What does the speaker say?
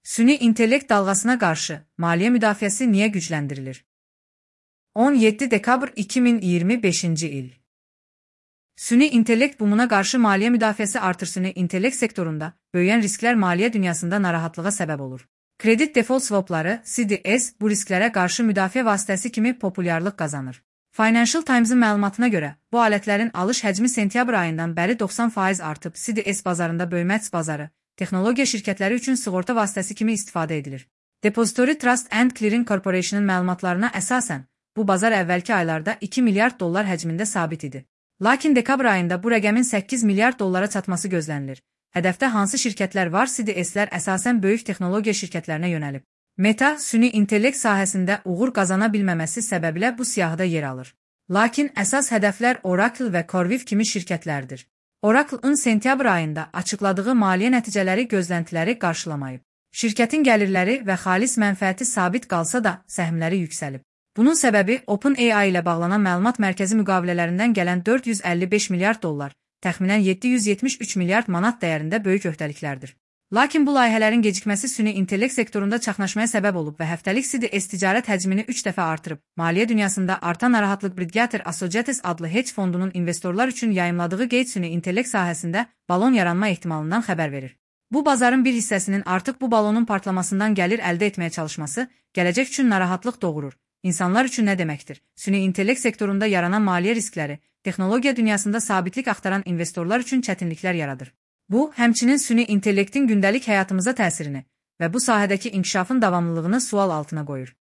Süni intellekt dalgasına qarşı maliyyə müdafiəsi niyə gücləndirilir? 17 dekabr 2025-ci il. Süni intellekt bumuna qarşı maliyyə müdafiəsi artır. Süni intellekt sektorunda böyüyən risklər maliyyə dünyasında narahatlığa səbəb olur. Credit default swapları, CDS, bu risklərə qarşı müdafiə vasitəsi kimi populyarlıq qazanır. Financial Times'ın məlumatına görə, bu alətlərin alış həcmi sentyabr ayından bəri 90% artıb. CDS bazarında böyümə bazarı, texnologiya şirkətləri üçün sığorta vasitəsi kimi istifadə edilir. Depository Trust and Clearing Corporation'ın məlumatlarına əsasən, bu bazar əvvəlki aylarda 2 milyard dollar həcmində sabit idi. Lakin dekabr ayında bu rəqəmin 8 milyard dollara çatması gözlənilir. Hədəfdə hansı şirkətlər var? CDS'lər əsasən böyük texnologiya şirkətlərinə yönəlib. Meta, süni intellekt sahəsində uğur qazana bilməməsi səbəbilə bu siyahıda yer alır. Lakin əsas hədəflər Oracle və CoreWeave kimi şirkətlərdir. Oracle-ın sentyabr ayında açıqladığı maliyyə nəticələri gözləntiləri qarşılamayıb. Şirkətin gəlirləri və xalis mənfəəti sabit qalsa da səhmləri yüksəlib. Bunun səbəbi OpenAI ilə bağlanan məlumat mərkəzi müqavilələrindən gələn 455 milyard dollar, təxminən 773 milyard manat dəyərində böyük öhdəliklərdir. Lakin bu layihələrin gecikməsi süni intellekt sektorunda çaxnaşmaya səbəb olub və həftəlik CDS ticarət həcmini 3 dəfə artırıb. Maliyyə dünyasında artan narahatlıq Bridgewater Associates adlı hedge fondunun investorlar üçün yayımladığı qeyd süni intellekt sahəsində balon yaranma ehtimalından xəbər verir. Bu bazarın bir hissəsinin artıq bu balonun partlamasından gəlir əldə etməyə çalışması gələcək üçün narahatlıq doğurur. İnsanlar üçün nə deməkdir? Süni intellekt sektorunda yaranan maliyyə riskləri, texnologiya dünyasında sabitlik axtaran investorlar üçün çətinliklər yaradır. Bu, həmçinin süni intellektin gündəlik həyatımıza təsirini və bu sahədəki inkişafın davamlılığını sual altına qoyur.